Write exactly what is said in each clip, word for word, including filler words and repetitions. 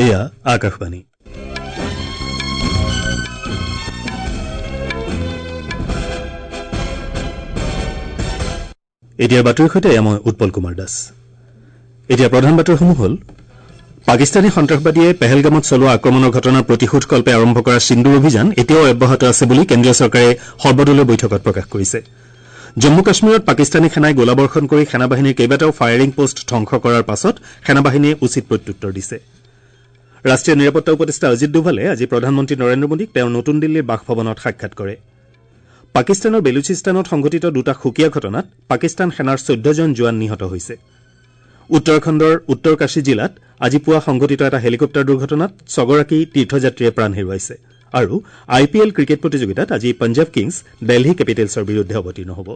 এয়া আকাশবাণী। এতিয়া বাতৰিৰ সৈতে এয়া মই উৎপল কুমাৰ দাস। এতিয়া প্ৰধান বাতৰিসমূহ হ'ল: পাকিস্তানী সন্ত্ৰাসবাদীয়ে পেহেলগামত চলোৱা আক্ৰমণৰ ঘটনাৰ প্ৰতিশোধকল্পে আৰম্ভ কৰা সিন্দুৰ অভিযান এতিয়াও অব্যাহত আছে বুলি কেন্দ্ৰীয় চৰকাৰে সৰ্বদলীয় বৈঠকত প্ৰকাশ কৰিছে। জম্মু কাশ্মীৰত পাকিস্তানী সেনাই গোলাবৰ্ষণ কৰি সেনাবাহিনীৰ কেইবাটাও ফায়াৰিং পোষ্ট ধ্বংস কৰাৰ পাছত সেনাবাহিনীয়ে উচিত প্ৰত্যুত্তৰ দিছে। ৰাষ্ট্ৰীয় নিৰাপত্তা উপদেষ্টা অজিত ডোভালে আজি প্ৰধানমন্ত্ৰী নৰেন্দ্ৰ মোদীক তেওঁৰ নতুন দিল্লীৰ বাসভৱনত সাক্ষাৎ কৰে। পাকিস্তানৰ বেলুচিস্তানত সংঘটিত দুটা সুকীয়া ঘটনাত পাকিস্তান সেনাৰ চৈধ্যজন জোৱান নিহত হৈছে। উত্তৰাখণ্ডৰ উত্তৰ কাশী জিলাত আজি পুৱা সংঘটিত এটা হেলিকপ্টাৰ দুৰ্ঘটনাত ছগৰাকী তীৰ্থযাত্ৰীয়ে প্ৰাণ হেৰুৱাইছে। আৰু আই পি এল ক্ৰিকেট প্ৰতিযোগিতাত আজি পঞ্জাৱ কিংছ দেলহী কেপিটেলছৰ বিৰুদ্ধে অৱতীৰ্ণ হ'ব।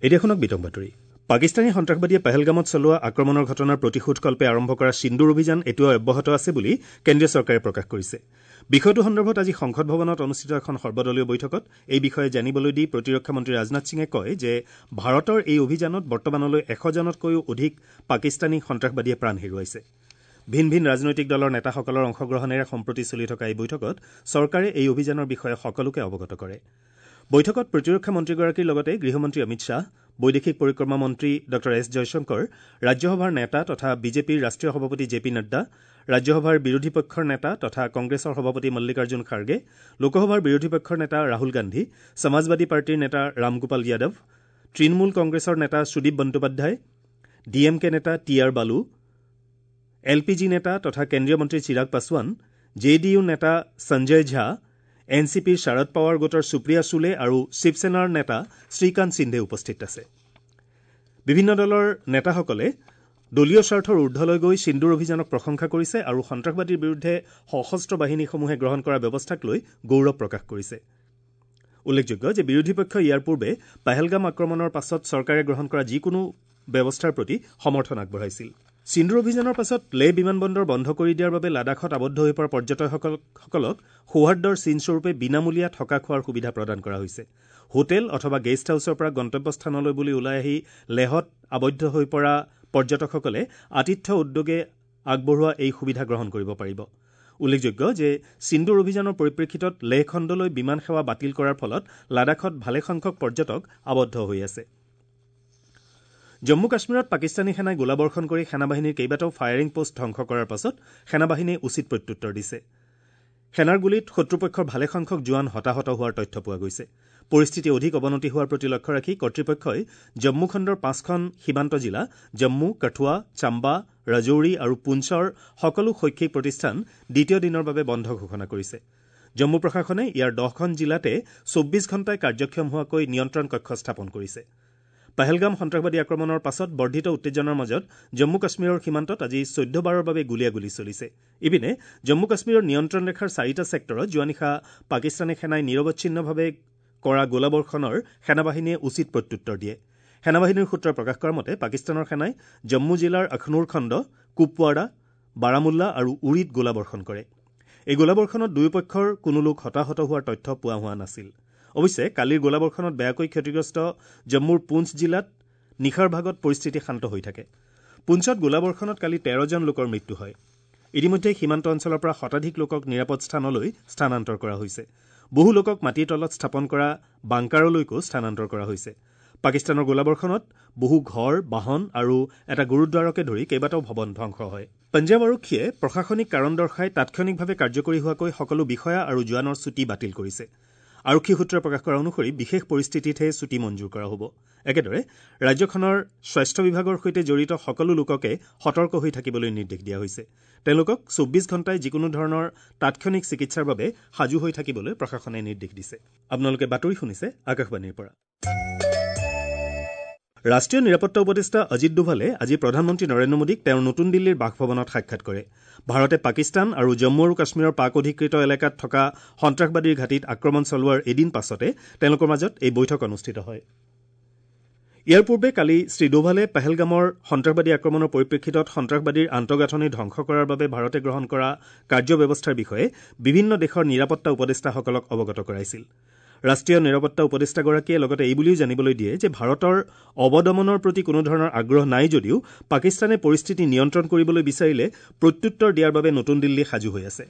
এতিয়া শুনক বিতং বাতৰি। পাকিস্তানী সন্ত্ৰাসবাদীয়ে পেহেলগামত চলোৱা আক্ৰমণৰ ঘটনাৰ প্ৰতিশোধকল্পে আৰম্ভ কৰা সিন্দুৰ অভিযান এতিয়াও অব্যাহত আছে বুলি কেন্দ্ৰীয় চৰকাৰে প্ৰকাশ কৰিছে। বিষয়টো সন্দৰ্ভত আজি সংসদ ভৱনত অনুষ্ঠিত এখন সৰ্বদলীয় বৈঠকত এই বিষয়ে জানিবলৈ দি প্ৰতিৰক্ষা মন্ত্ৰী ৰাজনাথ সিঙে কয় যে ভাৰতৰ এই অভিযানত বৰ্তমানলৈ এশজনতকৈও অধিক পাকিস্তানী সন্ত্ৰাসবাদীয়ে প্ৰাণ হেৰুৱাইছে। ভিন ভিন ৰাজনৈতিক দলৰ নেতাসকলৰ অংশগ্ৰহণেৰে সম্প্ৰতি চলি থকা এই বৈঠকত চৰকাৰে এই অভিযানৰ বিষয়ে সকলোকে অৱগত কৰে। বৈঠকত প্ৰতিৰক্ষা মন্ত্ৰীগৰাকীৰ লগতে গৃহমন্ত্ৰী অমিত শ্বাহ, বৈদেশিক পৰিক্ৰমা মন্ত্ৰী ডঃ এছ জয়শংকৰ, ৰাজ্যসভাৰ নেতা তথা বিজেপিৰ ৰাষ্ট্ৰীয় সভাপতি জে পি নাড্ডা, ৰাজ্যসভাৰ বিৰোধী পক্ষৰ নেতা তথা কংগ্ৰেছৰ সভাপতি মল্লিকাৰ্জুন খাৰ্গে, লোকসভাৰ বিৰোধী পক্ষৰ নেতা ৰাহুল গান্ধী, সমাজবাদী পাৰ্টীৰ নেতা ৰামগোপাল যাদৱ, তৃণমূল কংগ্ৰেছৰ নেতা Sudip Bandyopadhyay, D M K নেতা T R Baalu, L P G নেতা তথা কেন্দ্ৰীয় মন্ত্ৰী Chirag Paswan, J D U নেতা সঞ্জয় ঝা, এন চি পিৰ শাৰদ পাৱাৰ গোটৰ সুপ্ৰিয়া চুলে আৰু শিৱসেনাৰ নেতা শ্ৰীকান্ত সিন্ধে উপস্থিত আছে। বিভিন্ন দলৰ নেতাসকলে দলীয় স্বাৰ্থৰ ঊৰ্ধলৈ গৈ সিন্দুৰ অভিযানক প্ৰশংসা কৰিছে আৰু সন্ত্ৰাসবাদীৰ বিৰুদ্ধে সশস্ত্ৰ বাহিনীসমূহে গ্ৰহণ কৰা ব্যৱস্থাক লৈ গৌৰৱ প্ৰকাশ কৰিছে। উল্লেখযোগ্য যে বিৰোধী পক্ষই ইয়াৰ পূৰ্বে পেহেলগাম আক্ৰমণৰ পাছত চৰকাৰে গ্ৰহণ কৰা যিকোনো ব্যৱস্থাৰ প্ৰতি সমৰ্থন আগবঢ়াইছিল। সিন্দুৰ অভিযানৰ পাছত লেহ বিমানবন্দৰ বন্ধ কৰি দিয়াৰ বাবে লাডাখত আবদ্ধ হৈ পৰা পৰ্যটকসকলক সৌহাৰ্দ্যৰ চিনস্বৰূপে বিনামূলীয়া থকা খোৱাৰ সুবিধা প্ৰদান কৰা হৈছে। হোটেল অথবা গেষ্ট হাউছৰ পৰা গন্তব্যস্থানলৈ বুলি ওলাই আহি লেহত আবদ্ধ হৈ পৰা পৰ্যটকসকলে আতিথ্য উদ্যোগে আগবঢ়োৱা এই সুবিধা গ্ৰহণ কৰিব পাৰিব। উল্লেখযোগ্য যে সিন্দুৰ অভিযানৰ পৰিপ্ৰেক্ষিতত লেহ খণ্ডলৈ বিমান সেৱা বাতিল কৰাৰ ফলত লাডাখত ভালেসংখ্যক পৰ্যটক আবদ্ধ হৈ আছে। জম্মু কাশ্মীৰত পাকিস্তানী সেনাই গোলাবৰ্ষণ কৰি সেনাবাহিনীৰ কেইবাটাও ফায়াৰিং পোষ্ট ধ্বংস কৰাৰ পাছত সেনাবাহিনীয়ে উচিত প্ৰত্যুত্তৰ দিছে। সেনাৰ গুলীত শত্ৰুপক্ষৰ ভালেসংখ্যক জোৱান হতাহত হোৱাৰ তথ্য পোৱা গৈছে। পৰিস্থিতি অধিক অৱনতি হোৱাৰ প্ৰতি লক্ষ্য ৰাখি কৰ্তৃপক্ষই জম্মু খণ্ডৰ পাঁচখন সীমান্ত জিলা জম্মু, কঠুৱা, চাম্বা, ৰাজৌৰী আৰু পুঞ্চৰ সকলো শৈক্ষিক প্ৰতিষ্ঠান দ্বিতীয় দিনৰ বাবে বন্ধ ঘোষণা কৰিছে। জম্মু প্ৰশাসনে ইয়াৰ দহখন জিলাতে চৌব্বিছ ঘণ্টাই কাৰ্যক্ষম হোৱাকৈ নিয়ন্ত্ৰণ কক্ষ স্থাপন কৰিছে। পেহেলগাম সন্ত্ৰাসবাদী আক্ৰমণৰ পাছত বৰ্ধিত উত্তেজনাৰ মাজত জম্মু কাশ্মীৰৰ সীমান্তত আজি চৈধ্যবাৰৰ বাবে গুলীয়াগুলী চলিছে। ইপিনে জম্মু কাশ্মীৰৰ নিয়ন্ত্ৰণ ৰেখাৰ চাৰিটা ছেক্টৰত যোৱা নিশা পাকিস্তানী সেনাই নিৰৱচ্ছিন্নভাৱে কৰা গোলাবৰ্ষণৰ সেনাবাহিনীয়ে উচিত প্ৰত্যুত্তৰ দিয়ে। সেনাবাহিনীৰ সূত্ৰই প্ৰকাশ কৰা মতে পাকিস্তানৰ সেনাই জম্মু জিলাৰ আখনুৰ খণ্ড, কুপৱাৰা, বাৰামুল্লা আৰু উৰিত গোলাবৰ্ষণ কৰে। এই গোলাবৰ্ষণত দুয়োপক্ষৰ কোনো লোক হতাহত হোৱাৰ তথ্য পোৱা হোৱা নাছিল। অৱশ্যে কালিৰ গোলাবৰ্ষণত বেয়াকৈ ক্ষতিগ্ৰস্ত জম্মুৰ পুঞ্চ জিলাত নিশাৰ ভাগত পৰিস্থিতি শান্ত হৈ থাকে। পুঞ্চত গোলাবৰ্ষণত কালি তেৰজন লোকৰ মৃত্যু হয়। ইতিমধ্যে সীমান্ত অঞ্চলৰ পৰা শতাধিক লোকক নিৰাপদ স্থানলৈ স্থানান্তৰ কৰা হৈছে। বহু লোকক মাটিৰ তলত স্থাপন কৰা বাংকাৰলৈকো স্থানান্তৰ কৰা হৈছে। পাকিস্তানৰ গোলাবৰ্ষণত বহু ঘৰ, বাহন আৰু এটা গুৰুদ্বাৰকে ধৰি কেইবাটাও ভৱন ধ্বংস হয়। পঞ্জাৱ আৰক্ষীয়ে প্ৰশাসনিক কাৰণ দৰ্শাই তাৎক্ষণিকভাৱে কাৰ্যকৰী হোৱাকৈ সকলো বিষয়া আৰু জোৱানৰ ছুটী বাতিল কৰিছে। আৰক্ষী সূত্ৰই প্ৰকাশ কৰা অনুসৰি বিশেষ পৰিস্থিতিতহে ছুটী মঞ্জুৰ কৰা হ'ব। একেদৰে ৰাজ্যখনৰ স্বাস্থ্য বিভাগৰ সৈতে জড়িত সকলো লোককে সতৰ্ক হৈ থাকিবলৈ নিৰ্দেশ দিয়া হৈছে। তেওঁলোকক চৌব্বিছ ঘণ্টাই যিকোনো ধৰণৰ তাৎক্ষণিক চিকিৎসাৰ বাবে সাজু হৈ থাকিবলৈ প্ৰশাসনে নিৰ্দেশ দিছে। আপোনালোকে বাতৰি শুনিছে আকাশবাণীৰ পৰা। ৰাষ্ট্ৰীয় নিৰাপত্তা উপদেষ্টা অজিত ডোভালে আজি প্ৰধানমন্ত্ৰী নৰেন্দ্ৰ মোদীক তেওঁৰ নতুন দিল্লীৰ বাসভৱনত সাক্ষাৎ কৰে। ভাৰতে পাকিস্তান আৰু জম্মু আৰু কাশ্মীৰৰ পাক অধিকৃত এলেকাত থকা সন্ত্ৰাসবাদীৰ ঘাটিত আক্ৰমণ চলোৱাৰ এদিন পাছতে তেওঁলোকৰ মাজত এই বৈঠক অনুষ্ঠিত হয়। ইয়াৰ পূৰ্বে কালি শ্ৰী ডোভালে পেহেলগামৰ সন্ত্ৰাসবাদী আক্ৰমণৰ পৰিপ্ৰেক্ষিতত সন্ত্ৰাসবাদীৰ আন্তঃগাঁথনি ধ্বংস কৰাৰ বাবে ভাৰতে গ্ৰহণ কৰা কাৰ্যব্যৱস্থাৰ বিষয়ে বিভিন্ন দেশৰ নিৰাপত্তা উপদেষ্টাসকলক অৱগত কৰাইছিল। ৰাষ্ট্ৰীয় নিৰাপত্তা উপদেষ্টাগৰাকীয়ে লগতে এই বুলিও জানিবলৈ দিয়ে যে ভাৰতৰ অৱদমনৰ প্ৰতি কোনো ধৰণৰ আগ্ৰহ নাই যদিও পাকিস্তানে পৰিস্থিতি নিয়ন্ত্ৰণ কৰিবলৈ বিচাৰিলে প্ৰত্যুত্তৰ দিয়াৰ বাবে নতুন দিল্লী সাজু হৈ আছে।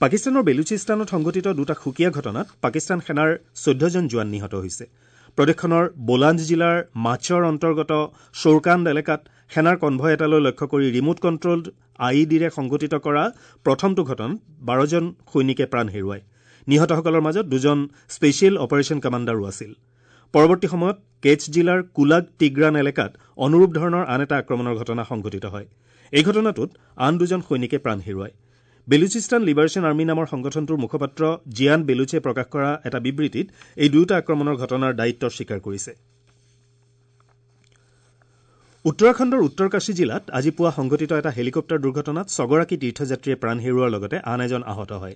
পাকিস্তানৰ বেলুচিস্তানত সংঘটিত দুটা সুকীয়া ঘটনাত পাকিস্তান সেনাৰ চৈধ্যজন জোৱান নিহত হৈছে। প্ৰদেশখনৰ বোলাঞ্জ জিলাৰ মাছৰ অন্তৰ্গত শ্বৰকান্দ এলেকাত সেনাৰ কনভয় এটালৈ লক্ষ্য কৰি ৰিম'ট কণ্ট্ৰলড I E ডিৰে সংঘটিত কৰা প্ৰথমটো ঘটনাত বাৰজন সৈনিকে প্ৰাণ হেৰুৱায়। নিহতসকলৰ মাজত দুজন স্পেচিয়েল অপাৰেশ্যন কমাণ্ডাৰো আছিল। পৰৱৰ্তী সময়ত কেচ জিলাৰ কুলাগ টিগ্ৰান এলেকাত অনুৰূপ ধৰণৰ আন এটা আক্ৰমণৰ ঘটনা সংঘটিত হয়। এই ঘটনাটোত আন দুজন সৈনিকে প্ৰাণ হেৰুৱায়। বেলুচিস্তান লিবাৰেশ্যন আৰ্মী নামৰ সংগঠনটোৰ মুখপাত্ৰ জিয়ান বেলুচে প্ৰকাশ কৰা এটা বিবৃতিত এই দুয়োটা আক্ৰমণৰ ঘটনাৰ দায়িত্ব স্বীকাৰ কৰিছে। উত্তৰাখণ্ডৰ উত্তৰকাশী জিলাত আজি পুৱা সংঘটিত এটা হেলিকপ্টাৰ দুৰ্ঘটনাত ছগৰাকী তীৰ্থযাত্ৰীয়ে প্ৰাণ হেৰুওৱাৰ লগতে আন এজন আহত হয়।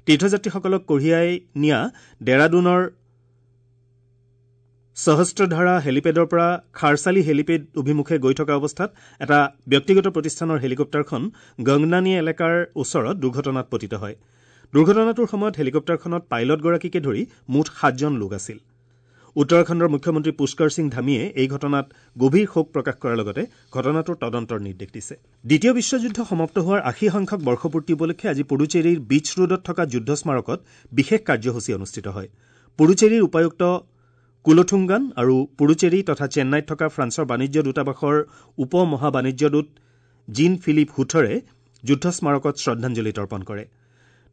তীৰ্থযাত্ৰীসকলক কঢ়িয়াই নিয়া ডেৰাডুনৰ সহস্ৰধাৰা হেলিপেডৰ পৰা খাৰচালি হেলিপেড অভিমুখে গৈ থকা অৱস্থাত এটা ব্যক্তিগত প্ৰতিষ্ঠানৰ হেলিকপ্টাৰখন গংনানী এলেকাৰ ওচৰত দুৰ্ঘটনাত পতিত হয়। দুৰ্ঘটনাটোৰ সময়ত হেলিকপ্টাৰখনত পাইলটগৰাকীকে ধৰি মুঠ সাতজন লোক আছিল। উত্তৰাখণ্ডৰ মুখ্যমন্ত্ৰী পুষ্কৰ সিং ধামীয়ে এই ঘটনাত গভীৰ শোক প্ৰকাশ কৰাৰ লগতে ঘটনাটোৰ তদন্তৰ নিৰ্দেশ দিছে। দ্বিতীয় বিশ্বযুদ্ধ সমাপ্ত হোৱাৰ আশী সংখ্যক বৰ্ষপূৰ্তি উপলক্ষে আজি পুডুচেৰীৰ বীচ ৰোডত থকা যুদ্ধ স্মাৰকত বিশেষ কাৰ্যসূচী অনুষ্ঠিত হয়। পুডুচেৰীৰ উপায়ুক্ত কুলথুংগান আৰু পুডুচেৰী তথা চেন্নাইত থকা ফ্ৰান্সৰ বাণিজ্য দূতাবাসৰ উপ মহাবাণিজ্যদূত জিন ফিলিপ হুথৰে যুদ্ধ স্মাৰকত শ্ৰদ্ধাঞ্জলি তৰ্পণ কৰে।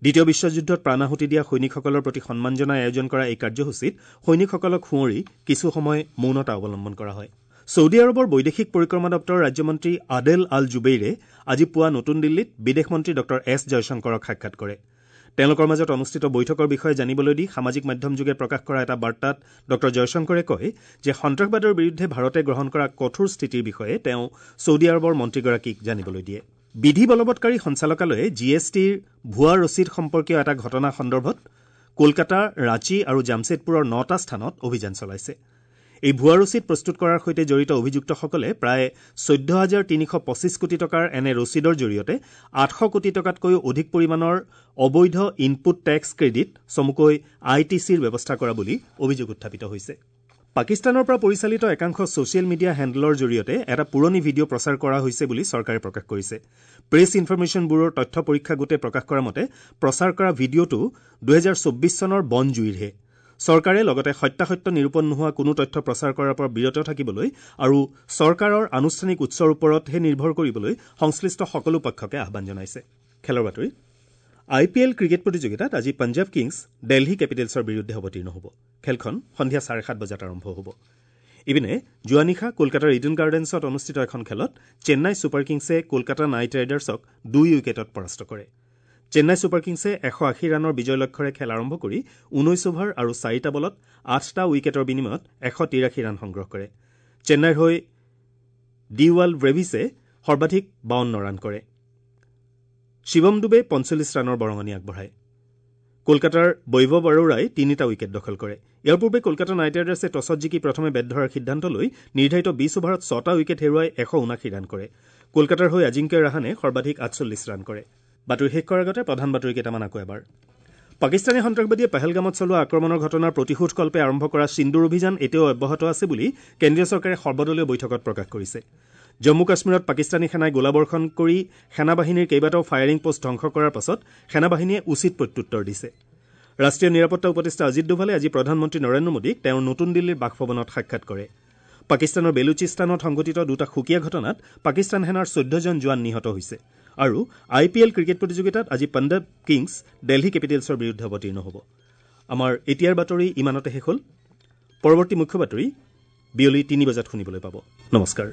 দ্বিতীয় বিশ্বযুদ্ধত প্ৰাণাহুতি দিয়া সৈনিকসকলৰ প্ৰতি সন্মান জনাই আয়োজন কৰা এই কাৰ্যসূচীত সৈনিকসকলক সুঁৱৰি কিছু সময় মৌনতা অৱলম্বন কৰা হয়। ছৌদি আৰৱৰ বৈদেশিক পৰিক্ৰমা দপ্তৰৰ ৰাজ্যমন্ত্ৰী আদেল আল জুবেইৰে আজি পুৱা নতুন দিল্লীত বিদেশ মন্ত্ৰী ডঃ এছ জয়শংকৰক সাক্ষাৎ কৰে। তেওঁলোকৰ মাজত অনুষ্ঠিত বৈঠকৰ বিষয়ে জানিবলৈ দি সামাজিক মাধ্যমযোগে প্ৰকাশ কৰা এটা বাৰ্তাত ডঃ জয়শংকৰে কয় যে সন্ত্ৰাসবাদৰ বিৰুদ্ধে ভাৰতে গ্ৰহণ কৰা কঠোৰ স্থিতিৰ বিষয়ে তেওঁ ছৌদি আৰৱৰ মন্ত্ৰীগৰাকীক জানিবলৈ দিয়ে। বিধি বলবৎকাৰী সঞ্চালকালয়ে জি এছ টিৰ ভুৱা ৰচিদ সম্পৰ্কীয় এটা ঘটনা সন্দৰ্ভত কলকাতা, ৰাঁচী আৰু জামছেদপুৰৰ নটা স্থানত অভিযান চলাইছে। এই ভুৱা ৰচিদ প্ৰস্তুত কৰাৰ সৈতে জড়িত অভিযুক্তসকলে প্ৰায় চৈধ্য হাজাৰ তিনিশ পঁচিছ কোটি টকাৰ এনে ৰচিদৰ জৰিয়তে আঠশ কোটি টকাতকৈও অধিক পৰিমাণৰ অবৈধ ইনপুট টেক্স ক্ৰেডিট চমুকৈ I T চিৰ ব্যৱস্থা কৰা বুলি অভিযোগ উত্থাপিত হৈছে। পাকিস্তানৰ পৰা পৰিচালিত একাংশ ছ'চিয়েল মিডিয়া হেণ্ডলৰ জৰিয়তে এটা পুৰণি ভিডিঅ' প্ৰচাৰ কৰা হৈছে বুলি চৰকাৰে প্ৰকাশ কৰিছে। প্ৰেছ ইনফৰমেশ্যন ব্যুৰোৰ তথ্য পৰীক্ষা গোটে প্ৰকাশ কৰা মতে প্ৰচাৰ কৰা ভিডিঅ'টো দুহেজাৰ চৌব্বিছ চনৰ বনজুইৰহে। চৰকাৰে লগতে সত্যাসত্য নিৰূপণ নোহোৱা কোনো তথ্য প্ৰচাৰ কৰাৰ পৰা বিৰত থাকিবলৈ আৰু চৰকাৰৰ আনুষ্ঠানিক উৎসৰ ওপৰতহে নিৰ্ভৰ কৰিবলৈ সংশ্লিষ্ট সকলো পক্ষকে আহ্বান জনাইছে। খেলৰ বাতৰি। আই পি এল ক্ৰিকেট প্ৰতিযোগিতাত আজি পঞ্জাৱ কিংছ দেলহি কেপিটেলছৰ বিৰুদ্ধে অৱতীৰ্ণ হ'ব। খেলখন সন্ধিয়া চাৰে সাত বজাত আৰম্ভ হ'ব। ইপিনে যোৱা নিশা কলকাতাৰ ইডেন গাৰ্ডেন্সত অনুষ্ঠিত এখন খেলত চেন্নাই ছুপাৰ কিংছে কলকাতা নাইট ৰাইডাৰ্ছক দুই উইকেটত পৰাস্ত কৰে। চেন্নাই ছুপাৰ কিংছে এশ আশী ৰানৰ বিজয় লক্ষ্যৰে খেল আৰম্ভ কৰি ঊনৈছ অভাৰ আৰু চাৰিটা বলত আঠটা উইকেটৰ বিনিময়ত এশ তিৰাশী ৰান সংগ্ৰহ কৰে। চেন্নাইৰ হৈ ডিৱাল ব্ৰেভিছে সৰ্বাধিক বাৱন্ন ৰান কৰে। শিৱম ডুবে পঞ্চল্লিছ ৰানৰ বৰঙণি আগবঢ়ায়। কলকাতাৰ বৈভৱ আৰোৰাই তিনিটা উইকেট দখল কৰে। ইয়াৰ পূৰ্বে কলকাতা নাইট ৰাইডাৰ্ছে টছত জিকি প্ৰথমে বেট ধৰাৰ সিদ্ধান্ত লৈ নিৰ্ধাৰিত বিছ অভাৰত ছটা উইকেট হেৰুৱাই এশ ঊনাশী ৰান কৰে। কলকাতাৰ হৈ আজিংক্য ৰাহানে সৰ্বাধিক আঠচল্লিছ ৰান কৰে। বাতৰি শেষ কৰাৰ আগতে প্ৰধান বাতৰি কেইটামান আকৌ এবাৰ। পাকিস্তানী সন্ত্ৰাসবাদীয়ে পেহেলগামত চলোৱা আক্ৰমণৰ ঘটনাৰ প্ৰতিশোধকল্পে আৰম্ভ কৰা সিন্দুৰ অভিযান এতিয়াও অব্যাহত আছে বুলি কেন্দ্ৰীয় চৰকাৰে সৰ্বদলীয় বৈঠকত প্ৰকাশ কৰিছে। জম্মু কাশ্মীৰত পাকিস্তানী সেনাই গোলাবৰ্ষণ কৰি সেনাবাহিনীৰ কেইবাটাও ফায়াৰিং পোষ্ট ধ্বংস কৰাৰ পাছত সেনাবাহিনীয়ে উচিত প্ৰত্যুত্তৰ দিছে। ৰাষ্ট্ৰীয় নিৰাপত্তা উপদেষ্টা অজিত ডোভালে আজি প্ৰধানমন্ত্ৰী নৰেন্দ্ৰ মোদীক তেওঁৰ নতুন দিল্লীৰ বাসভৱনত সাক্ষাৎ কৰে। পাকিস্তানৰ বেলুচিস্তানত সংঘটিত দুটা সুকীয়া ঘটনাত পাকিস্তান সেনাৰ চৈধ্যজন জোৱান নিহত হৈছে। আৰু আই পি এল ক্ৰিকেট প্ৰতিযোগিতাত আজি পঞ্জাৱ কিংছ দেলহি কেপিটেলছৰ বিৰুদ্ধে অৱতীৰ্ণ হ'ব। আমাৰ এতিয়াৰ বাতৰি ইমানতে শেষ হ'ল। পৰৱৰ্তী মুখ্য বাতৰি বিয়লি তিনি বজাত শুনিবলৈ পাব। নমস্কাৰ।